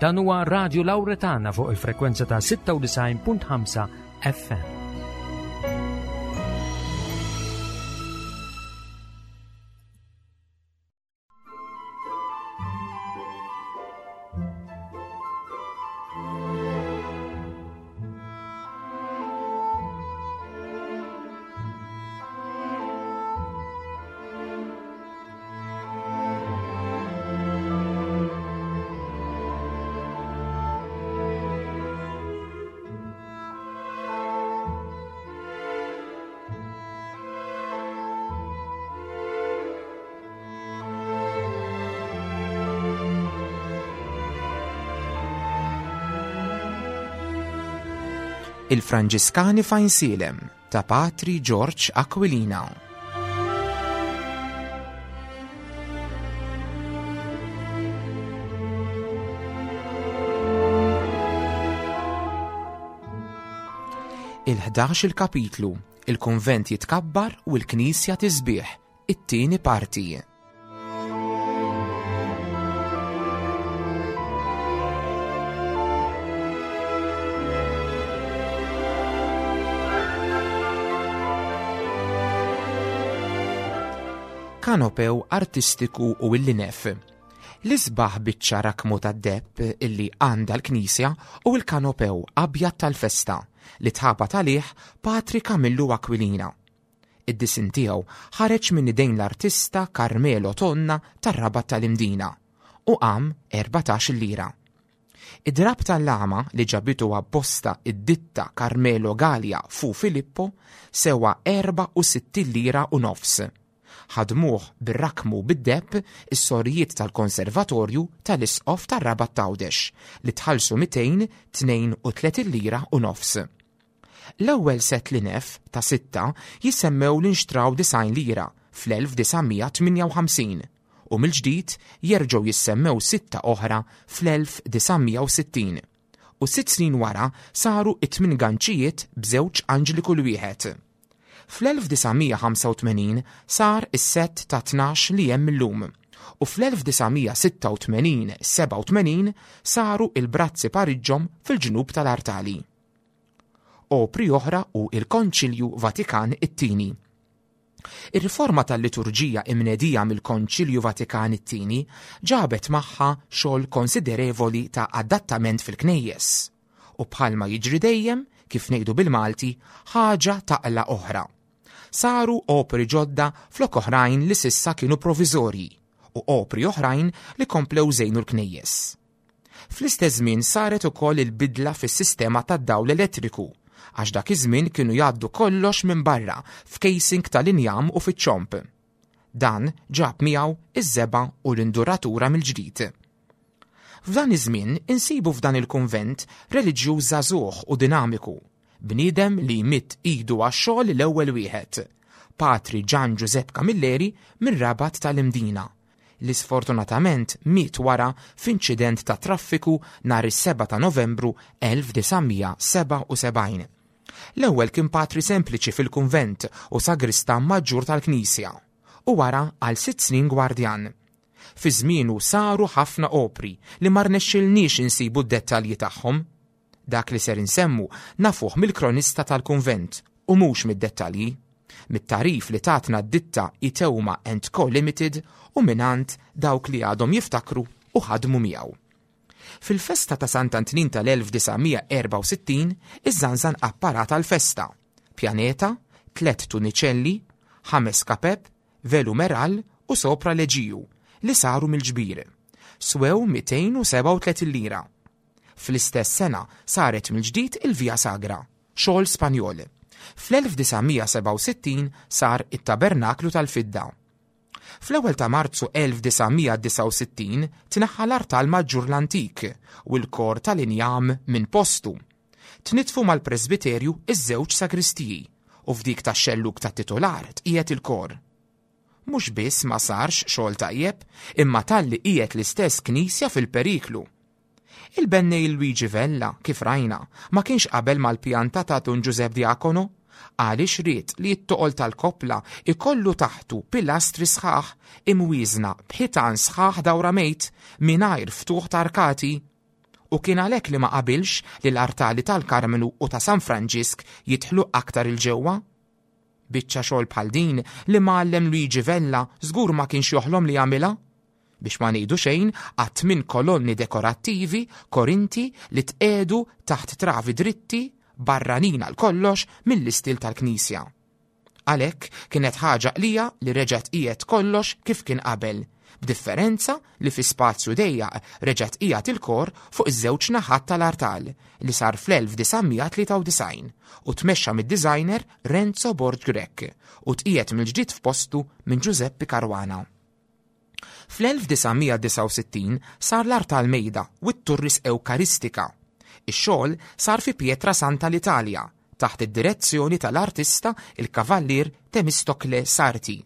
Dan huwa Radio Lauretana fuq il-frekwenza ta' 96.5 FM. Il-Franġiskani f'Għajnsielem ta' Patri Ġorġ Aquilina. Il-11 il-kapitlu, il-kunvent jitkabbar u l-knisja tisbieħ, it-tieni parti. Kanopew artistiku u il-linef. L-isbaħ biċċa rakmu tad-deb illi għandha l-knisja u l-kanopew abjad tal-festa li tħabat għalih Patri Kamillu Aquilina. Id-disinn tiegħu ħareġ minn idejn l-artista Carmelo Tonna tar-Rabat tal-Imdina u qam 14-il lira. Id-drapp tal-lama li ġabitu apposta id-ditta Carmelo Galea fu Filippo sewa 64 lira u nofs. Ħadmuh bir-rakmu bid-deheb is-sorijiet tal-Konservatorju tal-Isqof tar-Rabat t'Għawdex li tħallsu 232 lira u nofs. L-ewwel sett li nef, ta' sitta, jissemmew li nxtraw 90 lira fl-1958 u mill-ġdid jerġgħu jissemmew sitta oħra fl-1960 u sitt snin wara saru it-tmien ganċijiet b'żewġ anġli kull wieħed. Fl-1985 sar is-sett ta' 12 li hemm illum u fl-1986 87 saru il-brazzi pariġġhom fil-ġnub tal-artali. Opri oħra u il-Konċilju Vatikan it-Tieni. Ir-riforma tal-liturġija imnedija mill-Konċilju Vatikan it-Tieni ġabet magħha xogħol konsiderevoli ta' adattament fil-knejjes. U bħalma jiġri dejjem, kif ngħidu bil-Malti, ħaġa taqla' oħra. Saru opri ġodda flok oħrajn li s'issa kienu proviżorji u opri oħrajn li komplew żejnu l-knejjes. Fl-istess żmien saret ukoll il-bidla fis-sistema tad-dawl elettriku, għax dak iż-żmien kienu jgħaddu kollox minn barra f'casing tal-injam u fiċ-ċomb. Dan ġab miegħu iż-żebgħa u l-induratura mill-ġdid. F'dan iż-żmien insibu f'dan il-kunvent reliġjuż żagħżugħ u dinamiku, bniedem li jmidd idu għax-xogħol l-ewwel wieħed, Patri Ġan Ġużepp Camilleri mir-Rabat tal-Imdina, li sfortunatament miet wara f'inċident ta' traffiku nhar is-7 ta' Novembru 1977. L-ewwel kien patri sempliċi fil-kunvent u sagristan maġġur tal-knisja, u wara għal sitt snin gwardjan. Fi żmienu saru ħafna opri li ma rnexxilniex insibu d-dettalji tagħhom. Dak li ser insemmu nafuh mill-kronista tal-kunvent u mhux mid-dettalji, mit-tagħrif li tatna d-ditta Iteuma and Co Limited u mingħand dawk li għadhom jiftakru u ħadmu miegħu. Fil-festa ta' Sant'Antnin tal-1964 iżżanżan apparat għall-festa, pjaneta, tlett tuniċelli, ħames kapep, velu meral u sopra leġiju li saru mill-ġbir. Swew 237 lira. Fl-istess sena saret mill-ġdid il-Via Sagra, xogħol Spanjol. Fl-1967 sar it-Tabernaklu tal-Fidda. Fl-ewwel ta' Marzu 1969 tneħħa l-artal maġġur l-antik u l-kor tal-injam minn postu. Tnittfu mal-presbiterju ż-żewġ sagristiji u f'dik tax-xellug tat-titular tqiegħed il-kor. Mhux biss ma sarx xogħol tajjeb, imma talli qiegħed l-istess knisja fil-periklu. Il-bennej Luigi Vella, kif rajna, ma kienx qabel mal-pjanta ta' Dun Ġużepp Diacono, għaliex ried li t-toqol tal-koppla jkollu taħtu pilastri sħaħ imwieżna b'ħitan sħaħ dawramejt mingħajr ftuħ ta' arkati. U kien għalhekk li ma qabilx li l-artali tal-Karmnu u ta' San Franġisk jidħlu aktar 'il ġewwa. Biċċa xogħol bħal din l-imgħallem Luigi Vella żgur ma kienx joħlom li jagħmilha. Biex ma ngħidu xejn għat-tmien kolonni dekorattivi Korinti li tqiegħdu taħt travi dritti, barranin għal kollox mill-istil tal-knisja. Għalhekk kienet ħaġa qlija li reġa' tqiegħed kollox kif kien qabel, b'differenza li fi spazju dejjaq reġa' tqiegħed il-kor fuq iż-żewġ naħat tal-artal li sar fl-1993 u tmexxa mid-designer Renzo Borg Grech u tqiegħed mill-ġdid f'postu minn Giuseppe Caruana. Fl-1969 sar l-artal mejda u t-turris Ewkaristika. Ix-xogħol sar fi Pietra Santa l-Italja taħt id-direzzjoni tal-artista il-Kavallier Temistocle Sarti,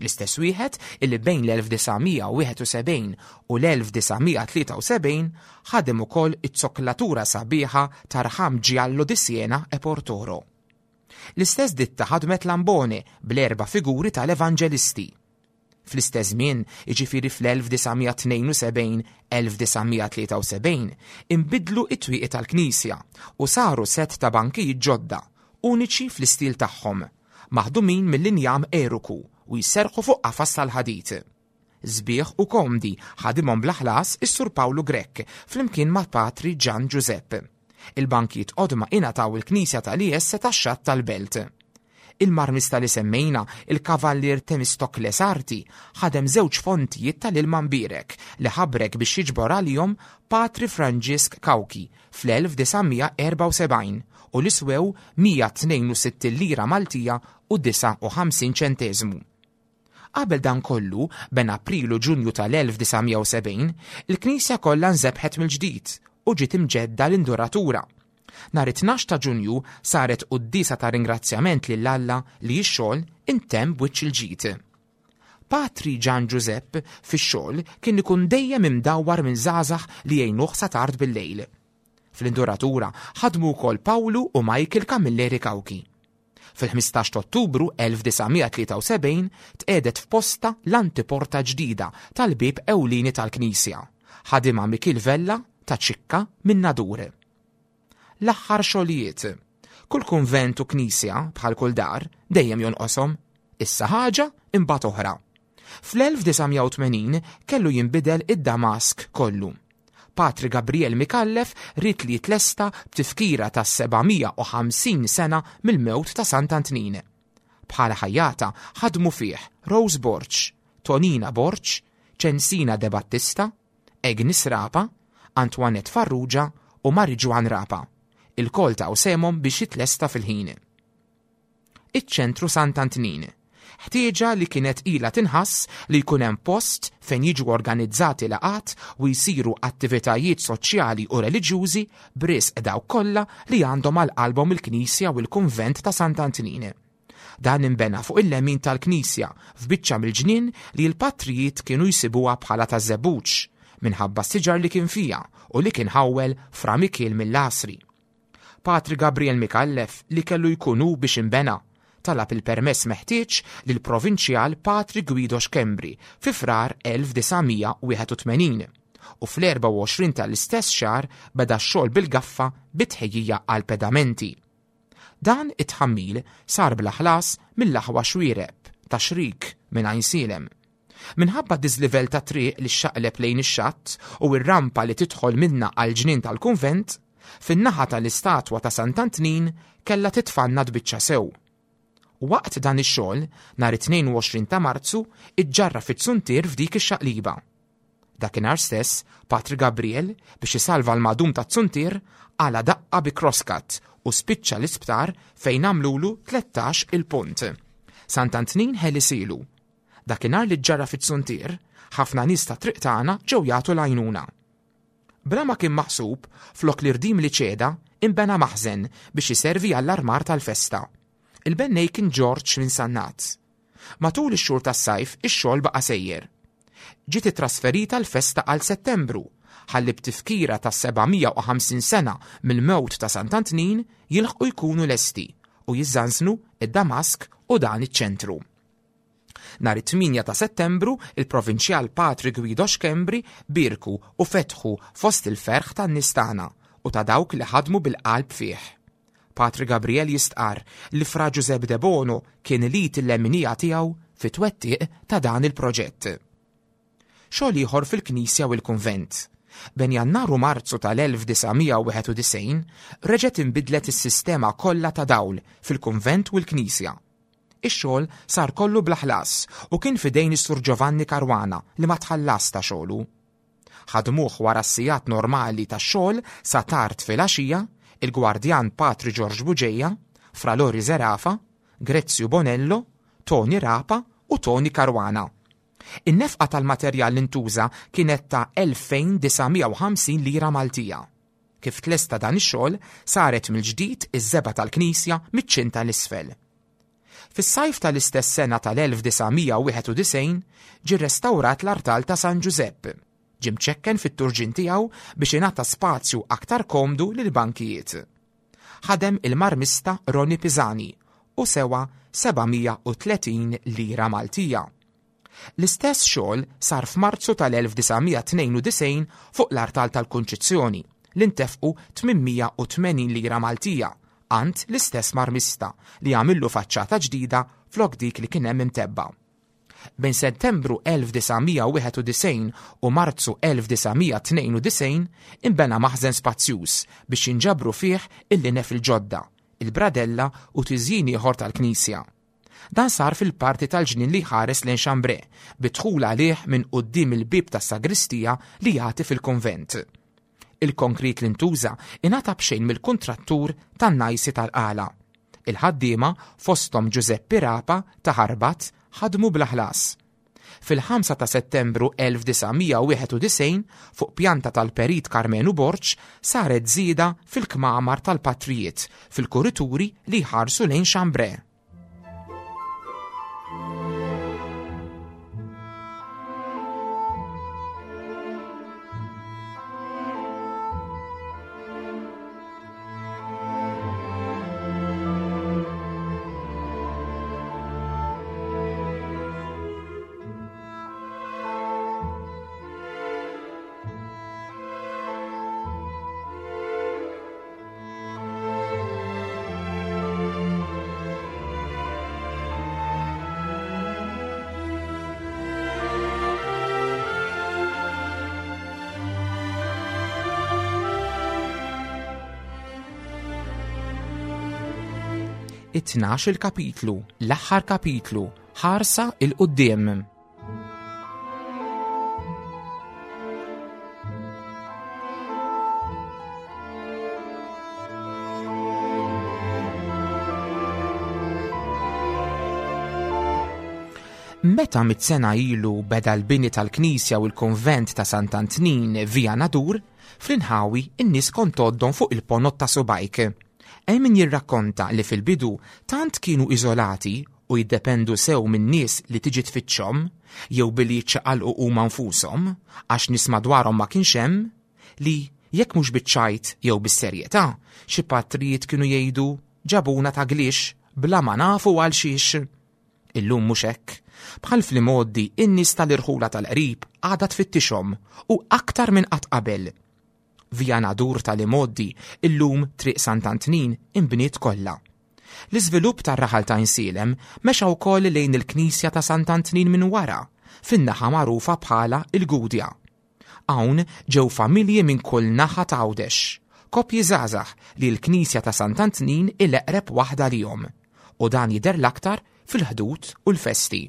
l-istess wieħed illi bejn l-1971 u l-1973 ħadem ukoll iz-zokklatura sabiħa ta' rħam Giallo di Siena e Portoro. L-istess ditta ħadmet l-ambone bl-erba' figuri tal-Evanġelisti. Fl-istess żmien, jiġifieri fl-1972, 1973, inbidlu t-twieqi tal-knisja u saru sett ta' bankijiet ġodda, uniċi fl-istil tagħhom, maħdumin mill-injam eruku u jserrħu fuq qafas tal-ħadid. Sbieħ u komdi ħadimhom bla ħlas is-Sur Pawlu Grech flimkien ma' Patri Ġann Ġużepp. Il-bankijiet qodma ingħataw il-knisja tal-IS tax-Xatt tal-Belt. Il-marmista li semmejna, il-Kavallier Temistocle Sarti, ħadem żewġ fontijiet tal-ilma mbierek li ħabrek biex jiġbor għalihom Patri Franġisk Cauchi fl-1974 u li swew 162 lira Maltija u 59 ċenteżmu. Qabel dan kollu, bejn April u Ġunju tal-1970, il-knisja kollha nżebħet mill-ġdid u ġiet imġedda l-induratura. Nhar it-tnax ta' Ġunju saret quddiesa ta' ringrazzjament lil Alla li x-xogħol intemm b'wiċċ il-ġid. Patri Ġan Ġużepp fix-xogħol kien ikun dejjem imdawwar minn żgħażagħ li jgħinuh sa tard bil-lejl. Fl-induratura ħadmu wkoll Pawlu u Michael Camilleri Cauchi. Fil-15 ta' Ottubru 1973 tqiegħdet f'postha l-antiporta ġdida tal-bieb ewlieni tal-knisja, ħadimha Mikiel Vella ta' Ċikka min-Nadur. L-aħħar xogħlijiet. Kull kunvent u knisja, bħal kull dar, dejjem jonqoshom. Issa ħaġa, imbagħad oħra. Fl-1980 kellu jinbidel id-damask kollu. Patri Gabriel Micallef ried li jitlesta b'tifkira tas-750 sena mill-mewt ta' Sant'Antnin. Bħala ħajjata ħadmu fih Rose Borg, Tonina Borg, Ċensina De Battista, Agnes Rapa, Antoinette Farrugia u Marie-Joanne Rapa. Ilkoll taw sehemhom biex jitlesta fil-ħin. Iċ-Ċentru Sant'Antnin. Ħtieġa li kienet ilha tinħass li jkun hemm post fejn jiġu organizzati laqgħat u jsiru attivitajiet soċjali u reliġjużi b'risq dawk kollha li għandhom għal qalbhom il-Knisja u l-Kunvent ta' Sant'Antnin. Dan inbena fuq il-lemin tal-knisja f'biċċa mill-ġnien li l-patrijiet kienu jsibuha bħala taż-żebbuġ minħabba s-siġar li kien fiha u li kien ħawwel Fra Mikiel mill-Għasri. Patri Gabriel Micallef li kellu jkun hu biex inbena, talab il-permess meħtieġ lill-Provinċjal Patri Guido Schembri fi Frar 1981 u fl-24 tal-istess xahar beda x-xogħol bil-gaffa bi tħejjija għall-pedamenti. Dan it-tħammil sar bla ħlas mill-aħwa Xuereb ta' Xrik minn Għajnsielem. Minħabba d-diżlivell tat-triq li xxaqleb lejn ix-xatt u r-rampa li tidħol minnha għall-ġnien tal-kunvent, fin-naħa tal-istatwa ta' Sant'Antnin kellha titfanna tbiċċa sew. Waqt dan ix-xogħol, nhar it-22 ta' Marzu, iġġarraf it-suntier f'dik ix-xaqliba. Dakinhar stess, Patri Gabriel, biex isalva l-madum taz-zuntier, qala' daqqa bi crosscut u spiċċa l-isptar fejn għamlulu 13 il-punt. Sant'Antnin ħelisilu. Dakinhar li ġġarraf iz-zuntier, ħafna nies tat-triq tagħna ġew jagħtu l-għajnuna. Bla ma kien maħsub, flok l-irdim li ċeda, inbena maħżen biex iservi għall-armar tal-festa. Il-bennej kien Ġorġ minn Sannat. Matul ix-xhur tas-sajf ix-xogħol baqa' sejjer. Ġiet ittrasferita l-festa għal Settembru ħalli b'tifkira tas-750 sena mill-mewt ta' Sant'Antnin jilħqu jkunu lesti u jiżżanżnu d-Damask u dan iċ-ċentru. Nhar it-8 ta' Settembru, il-Provinċjal Patri Guido Schembri bierku u fetħu fost il-ferħ tan-nies tagħna u ta' dawk li ħadmu bil-qalb fih. Patri Gabriel jistqarr li Fra Ġużepp Debono kien l-id il-leminija tiegħu fit-twettiq ta' dan il-proġett. Xogħol ieħor fil-knisja u l-kunvent. Bejn Jannar u Marzu tal-1991 reġgħet inbidlet is-sistema kollha ta' dawl fil-kunvent u l-knisja. Ix-xogħol sar kollu bla ħlas u kien f'idejn is-Sur Giovanni Caruana li ma tħallasx ta' xogħlu. Ħadmuh wara s-sigħat normali tax-xogħol sa tard filgħaxija, il-gwardjan Patri Ġorġ Bugeja, Fra Lori Zerafa, Grezzju Bonello, Toni Rapa u Toni Caruana. In-nefqa tal-materjal li ntuża kienet ta' 2,950 lira Maltija. Kif tlesta dan ix-xogħol, saret mill-ġdid iż-żebgħa tal-knisja miċ-ċinta 'l isfel. Fis-sajf tal-istess sena tal-1991 ġie rrestawrat l-artal ta' San Ġużepp. Ġie mċekken fit-turġien tiegħu biex ingħata spazju aktar komdu lill-bankijiet. Ħadem il-marmista Ronnie Pisani u sewa 730 lira Maltija. L-istess xogħol sar f'Marzu tal-1992 fuq l-artal tal-Kunċizzjoni li ntefqu 880 lira Maltija għand l-istess marmista li għamillu faċċata ġdida flok dik li kien hemm imtebba'. Bejn Settembru 1991 u Marzu 1992 inbena maħżen spazjuż biex jinġabru fih il-linef il-ġodda, il-bradella u tiżjin ieħor tal-knisja. Dan sar fil-parti tal-ġnien li jħares lejn Chambray, bi dħul għalih minn quddiem il-bieb tas-sagristija li jagħti fil-kunvent. Il-konkrit li ntuża ingħata b'xejn mill-kuntrattur tan-najsi tal-Qala. Il-ħaddiema, fosthom Ġużeppi Rapa ta' Ħarbat, ħadmu bla ħlas. Fil-5 ta' Settembru 1991, fuq pjanta tal-Perit Karmenu Borg, saret żieda fil-kmamar tal-patrijiet fil-kurituri li jħarsu lejn Chambray. It-tnax il-kapitlu, l-aħħar kapitlu, ħarsa 'il quddiem. Meta mit-sena ilu beda l-bini tal-knisja u l-konvent ta' Sant'Antnin via Nadur, fl-inħawi n-nies kont tgħoddhom fuq il-ponot ta' subajk. Hemm min jirrakkonta li fil-bidu tant kienu iżolati u jiddependu sew min-nies li tiġi tfittxhom, jew billi jiċċaqalqu huma nfushom, għax nies madwarhom ma kienx hemm, li, jekk mhux biċ-ċajt jew bis-serjetà, xi patrijiet kienu jgħidu ġabuna ta' glix bla ma nafu għal xiex. Illum mhux hekk. Bħal fl-imgħoddi, in-nies tal-irħula tal-qrib għadha tfittixhom u aktar minn qatt qabel. Via Nadur tal-imgħoddi, illum Triq Sant'Antnin, inbniet kollha. L-iżvilupp tar-raħal ta' Għajnsielem mexa wkoll lejn il-knisja ta' Sant'Antnin minn wara, fin-naħa magħrufa bħala l-Gudja. Hawn ġew familji minn kull naħa ta' Għawdex, koppji żgħażagħ li l-knisja ta' Sant'Antnin hi l-eqreb waħda għalihom, u dan jidher l-aktar fil-Ħdud u l-festi.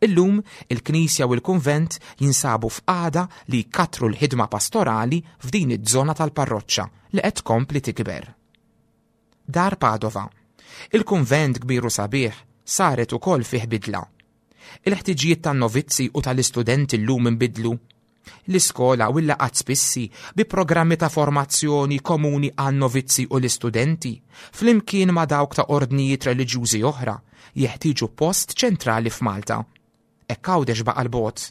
Illum, il-knisja u l-kunvent jinsabu f'qagħda li jkattru l-ħidma pastorali f'din iż-żona tal-parroċċa li qed tkompli tikber. Dar Padova. Il-kunvent kbir u sabiħ saret ukoll fih bidla. Il-ħtiġijiet tan-novizzi u tal-istudenti llum inbidlu. L-iskola u l-laqgħat spissi bi programmi ta' formazzjoni komuni għan-novizzi u l-istudenti, flimkien ma' dawk ta' ordnijiet reliġjużi oħra, jeħtieġu post ċentrali f'Malta. Hekk Għawdex baqa' 'l bogħod.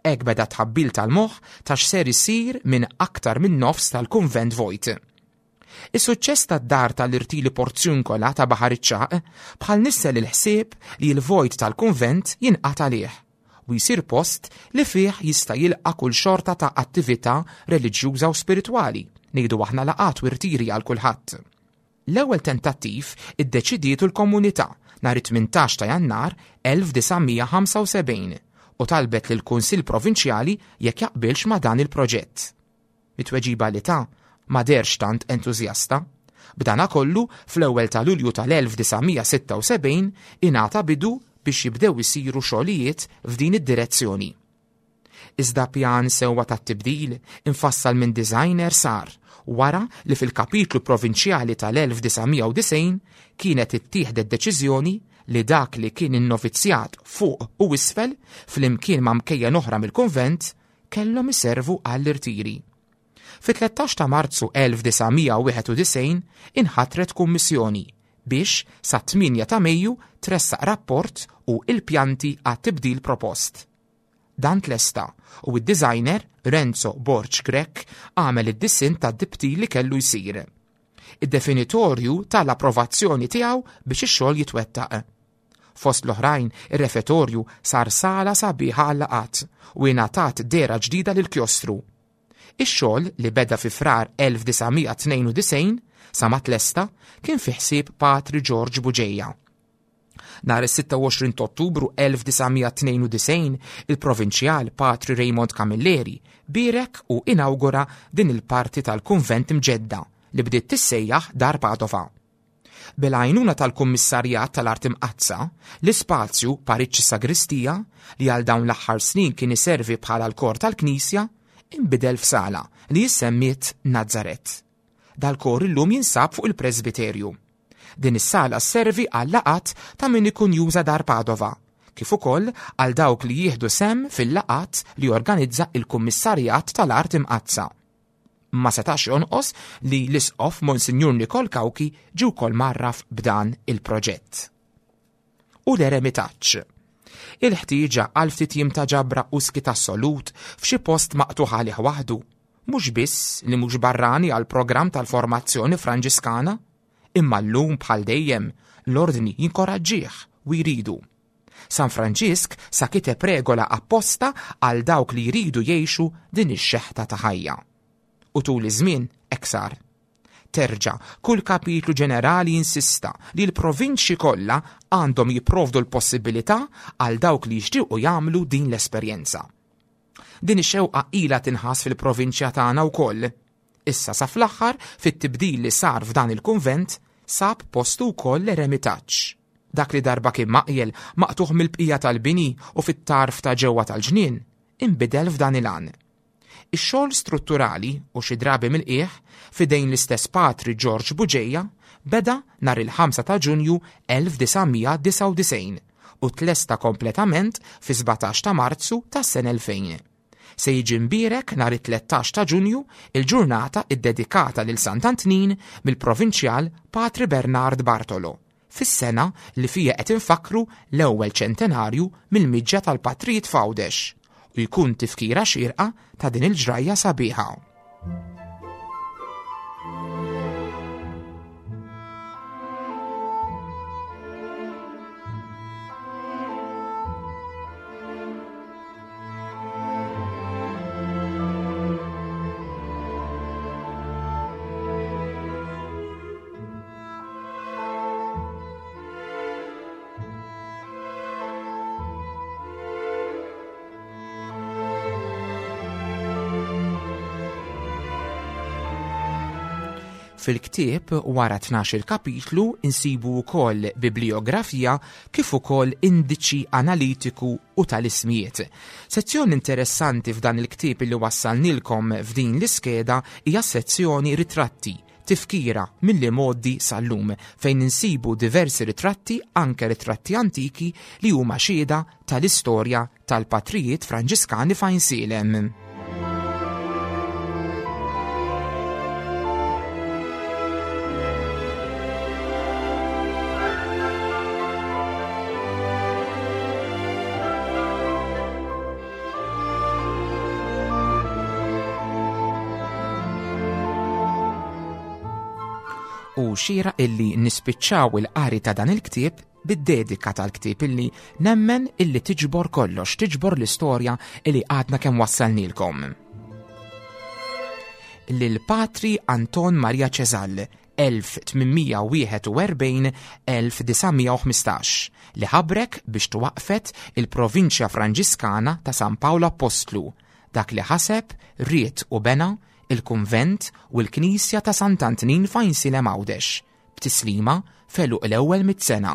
Hekk beda t-tħabbil tal-moħħ ta' x'ser isir minn aktar minn nofs tal-kunvent vojt. Is-suċċess tad-dar tal-irtili Porziuncola ta' Baħar iċ-Ċagħaq bħal nissel il-ħsieb li l-vojt tal-kunvent jinqata' għalih u jsir post li fih jista' jilqa' kull xorta ta' attività reliġjuża u spiritwali, ngħidu aħna laqgħat u rtiri għal kulħadd. L-ewwel tentattiv iddeċidietu l-komunità nhar it-18 ta' Jannar 1975 u talbet lill-Kunsill Provinċjali jekk jaqbilx ma' dan il-proġett. Mit-tweġiba li ta, ma deherx tant entużjasta. B'danakollu, fl-ewwel ta' Lulju tal-1976 ingħata bidu biex jibdew isiru xogħlijiet f'din id-direzzjoni. Iżda pjan sewwa tat-tibdil imfassal minn designer sar wara li fil-kapitlu provinċjali tal-1990 kienet ittieħdet deċiżjoni li dak li kien in-novizzjat fuq u isfel flimkien ma' mkejjen oħra mill-kunvent kellhom iservu għall-irtiri. Fit-13 ta' Marzu 1991 inħatret kummissjoni biex sat-8 ta' Mejju tressaq rapport u il-pjanti għat-tibdil propost. Dan tlesta u d-designer Renzo Borg Grech għamel id-disinn tad-dibtil li kellu jsir. Id-definitorju ta l-approvazzjoni tiegħu biex ix-xogħol jitwettaq. Fost l-oħrajn, ir-refetorju sar sala sabiħa għal-laqgħat u ingħatat dehra ġdida lill-kjostru. Ix-xogħol li beda fi Frar 1992 sa ma tlesta kien fi ħsieb Patri Ġorġ Buġeja. Nhar is-26 ta' Ottubru 1992, il-Provinċjal Patri Raymond Camilleri bierek u inawgura din il-parti tal-kunvent imġedda li bdiet tissejjaħ Dar Padova. Bil-għajnuna tal-Kummissarjat tal-Art Imqaddsa, l-ispazju Pariġġ Sagristija, li għal dawn l-aħħar snin kien iservi bħala l-kor tal-knisja, inbidel f'sala li issemmiet Nazaret. Dal-kor illum jinsab fuq il-presbiterju. Din is-sala sservi għal laqgħat ta' min ikun juża Dar Padova, kif ukoll għal dawk li jieħdu sehem fil-laqgħat li jorganizza il-Kummissarjat tal-Art Imqaddsa. Ma setax jonqos li l-Isqof Monsinjur Nikol Cauchi ġie wkoll mgħarraf b'dan il-proġett. U l-eremitaġġ. Il-ħtieġa għal ftit jiem ta' ġabra u skiet assolut f'xi post maqtugħ għalih waħdu, mhux biss li mhux barrani għall-programm tal-formazzjoni Franġiskana, imma llum bħal dejjem l-Ordni jinkoraġġih u jridu. San Franġisk sa kiteb regola apposta għal dawk li jridu jgħixu din ix-xeħta ta' ħajja. U tul iż-żmien hekk sar. Terġa', kull kapitlu ġenerali insista li l-provinċji kollha għandhom jipprovdu l-possibilità għal dawk li jixtiequ jagħmlu din l-esperjenza. Din ix-xewqa ilha tinħass fil-provinċja tagħna wkoll. Issa sa fl-aħħar, fit-tibdil li sar f'dan il-kunvent, sab postu wkoll l-eremitaġġ. Dak li darba kien maqjel, maqtugħ mill-bqija tal-bini u fit-tarf ta' ġewwa tal-ġnien, inbidel f'dan il-għan. Ix-xogħol strutturali, u xi drabi mill-qiegħ, f'idejn l-istess Patri Ġorġ Bugeja, beda nhar il-5 ta' Ġunju 1999 u tlesta kompletament fis-17 ta' Marzu tas-sena 2000. Se jiġi mbierek nhar it-13 ta' Ġunju, il-ġurnata ddedikata lil Sant'Antnin mill-Provinċjal Patri Bernard Bartolo, fis-sena li fiha qed infakkru l-ewwel ċentenarju mill-miġja tal-patrijiet f'Għawdex u jkun tifkira xierqa ta' din il-ġrajja sabiħa. Fil-ktieb wara 12-il kapitlu insibu wkoll bibliografija kif ukoll indiċi analitiku u tal-ismijiet. Sezzjoni interessanti f'dan il-ktieb li wassalnilkom f'din l-iskeda hija s-sezzjoni Ritratti, Tifkira mill-imgħoddi sal-lum, fejn insibu diversi ritratti, anke ritratti antiki, li huma xhieda tal-istorja tal-patrijiet Franġiskani f'Għajnsielem. U xira illi nispiċċaw il-qari ta' dan il-ktieb bid-dedika tal-ktieb illi nemmen illi tiġbor kollox, tiġbor l-istorja illi għadna kemm wassalnilkom. Lil Patri Anton Maria Ċeżal 1841-1915 li ħabrek biex twaqqfet il-Provinċja Franġiskana ta' San Pawl Appostlu, dak li ħaseb, ried u bena il-kunvent u l-knisja ta' Sant'Antnin f'Għajnsielem Għawdex, b'tislima f'għeluq l-ewwel mit sena.